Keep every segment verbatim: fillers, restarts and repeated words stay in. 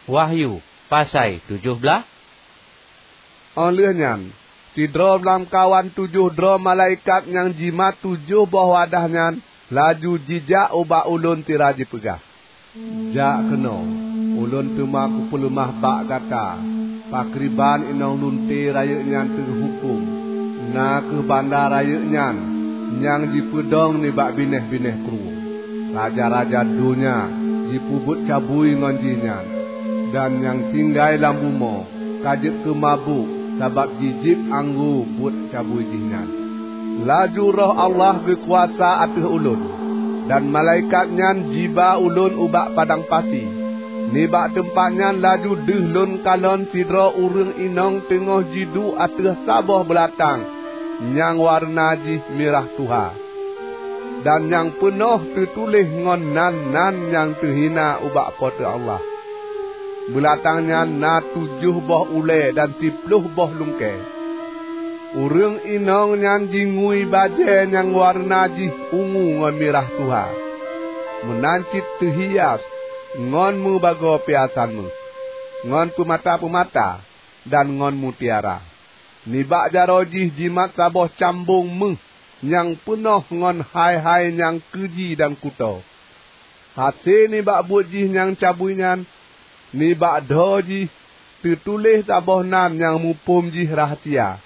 Wahyu, pasai tujoh blaih. Óh lheueh nyan, sidroe lamkawan tujoh droe malaikat nyang jimat tujoh boh wadah nyan laju jijak ubak ulôn sira jipeugah, "Jak keunoe, ulôn teuma kupeuleumah bak gata pakriban inong lunte rayeuk nyan teuhuköm, na kheueh banda rayeuk nyan nyang jipeudong nibak binéh-binéh krueng. Raja-raja donya jipeubuet cabui ngon jih nyan, dan nyang tinggai lam bumoe ka jeuet keu mabök sabab jijieb anggô buet cabui jih nyan." Laju Roh Allah geukuasa ateueh ulôn, dan malaikat nyan jiba ulôn ubak padang pasi. Nibak teumpat nyan laju deuh lôn kalon sidroe ureuëng inong teungoh jiduek ateueh saboh beulatang nyang wareuna jih mirah tuha, dan nyang peunoh teutuléh ngon nan-nan nyang teuhina ubak Po teu Allah. Beulatang nyan na tujoh boh ulée dan siploh boh lungkée. Ureuëng inong nyan jingui bajée nyang wareuna jih ungu ngon mirah tuha, meunan cit teuhias ngon meubagoe piasan méuh, ngon peumata-peumata, dan ngon mutiara. Nibak jaroe jih jimat saboh cambong méuh nyang peunoh ngon hai-hai nyang keuji dan kutoe. Hase nibak buet jih nyang cabui nyan, nibak dhoe jih teutuléh saboh nan nyang muphom jih rahsia.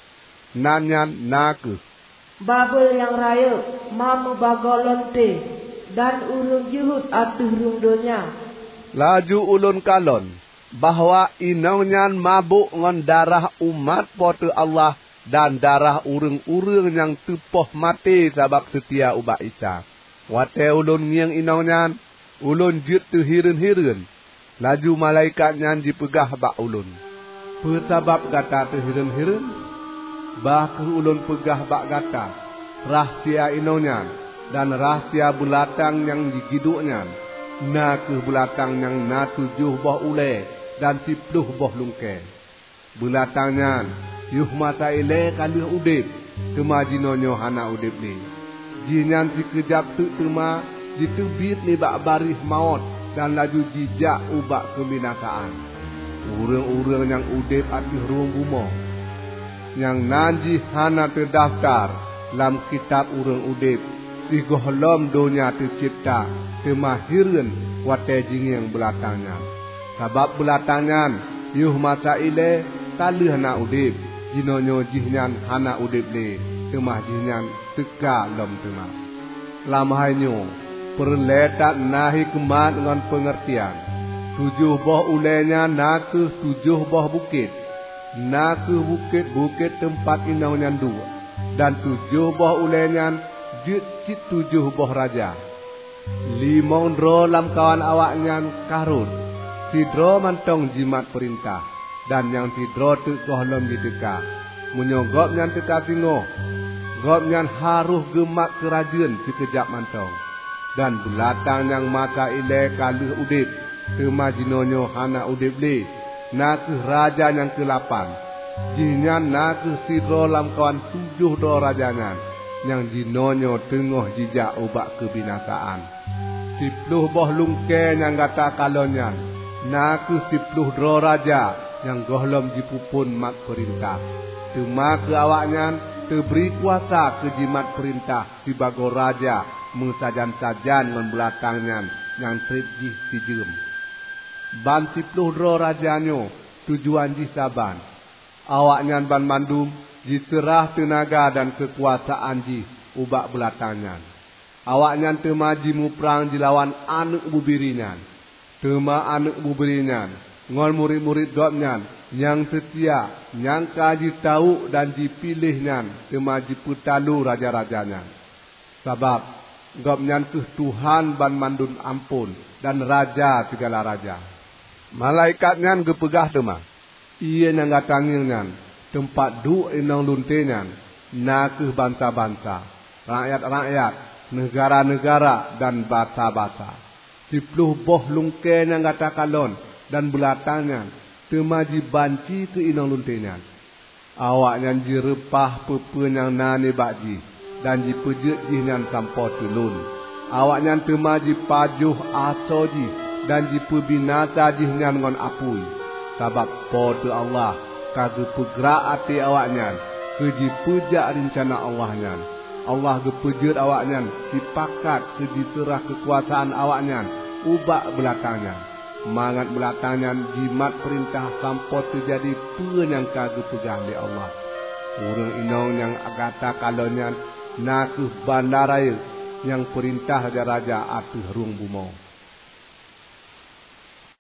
Nan nyan na kheueh, "Babel nyang rayeuk, ma meubagoe lonte, dan ureuëng jeuhet ateueh rhueng donya." Laju ulôn kalon bahwa inong nyan mabök ngon darah umat Po teu Allah dan darah ureuëng-ureuëng nyang teupoh maté sabab seutia ubak Isa. Watée ulôn ngieng inong nyan, ulôn jeuet teuhireuen-hireuen. Laju malaikat nyan jipeugah bak ulôn, "Peue sabab gata teuhireuen-hireuen? Bah kheueh ulôn peugah bak gata rahsia inong nyan dan rahsia beulatang nyang jigiduek nyan, na kheueh beulatang nyang na tujoh boh ulée dan siploh boh lungkée. Beulatang nyan yoh masa ilée ka lheueh udeb, teuma jinoenyoe hana udeb lé. Jihnyan sikeujab teuk teuma jiteubiet nibak baréh mawöt dan laju jijak ubak keubinasaan. Ureuëng-ureuëng nyang udeb ateueh rhueng bumoe, nyang nan jih hana teudafeutar lam kitab ureuëng udeb sigohlom donya teucebta, teuma hireuen watée jingieng beulatang nyan. Sabab beulatang nyan yoh masa ilée ka lheueh na udeb, jinoenyoe jihnyan hana udeb lé, teuma jihnyan teuka lom teuma." Lam hai nyoe peureulée that na hikeumat ngon peungeurtian. Tujoh boh ulée nyan na kheueh tujoh boh bukét, na kheueh bukét-bukét teumpat inong nyan duek, dan tujoh boh ulée nyan jeuet cit tujoh boh raja. Limong droe lamkawan awaknyan ka rhot, sidroe mantong jimat peurintah, dan nyang sidroe teuk gohlom jiteuka. Meunyoe gobnyan teuka singoh, gobnyan harôh geumat keurajeuen sikeujab mantong. Dan beulatang nyang masa ilée ka lheueh udeb, teuma jinoenyoe hana udeb lé, na kheueh raja nyang keulapan. Jihnyan na kheueh sidroe lamkawan tujoh droe raja nyan, nyang jinoenyoe teungoh jijak ubak keubinasaan. Siploh boh lungkée nyang gata kalon nyan na kheueh siploh droe raja nyang gohlom jipeuphon mat peurintah. Teuma keu awaknyan teubri kuasa keu jimat peurintah sibagoe raja meusajan-sajan ngon beulatang nyan nyang treb jih sijeuem. Ban siploh droe raja nyoe tujuan jih saban. Awaknyan banmandum jiseurah teunaga dan keukuasaan jih ubak beulatang nyan. Awaknyan teuma jimuprang jilawan Aneuëk Bubiri nyan. Teuma Aneuëk Bubiri nyan ngon murit-murit Gobnyan nyang seutia, nyang ka jitawök dan jipiléh nyan teuma jipeutalu raja-raja nyan. Sabab Gobnyan kheueh Tuhan banmandum amphon dan Raja sigala raja. Malaikat nyan geupeugah teuma, "Ié nyang gata ngieng nyan, teumpat duek inong lunte nyan, na kheueh bansa-bansa, rakyat-rakyat, neugara-neugara, dan basa-basa. Siploh boh lungkée nyang gata kalon dan beulatang nyan teuma jibanci keu inong lunte nyan. Awaknyan jireupah peue-peue nyang na nibak jih dan jipeujeuet jih nyan sampoe teulon. Awaknyan teuma jipajoh asoe jih dan jipeubinasa jih nyan ngon apui, sabab Po teu Allah ka geupeugrak até awaknyan keu jipeujak reuncana Allah nyan. Allah geupeujeuet awaknyan sipakat keu jiseurah keukuasaan awaknyan ubak beulatang nyan, mangat beulatang nyan jimat peurintah sampoe teujadi peue nyang ka geupeugah lé Allah. Ureuëng inong nyang gata kalon nyan na kheueh banda rayeuk nyang peurintah raja-raja ateueh rhueng bumoe.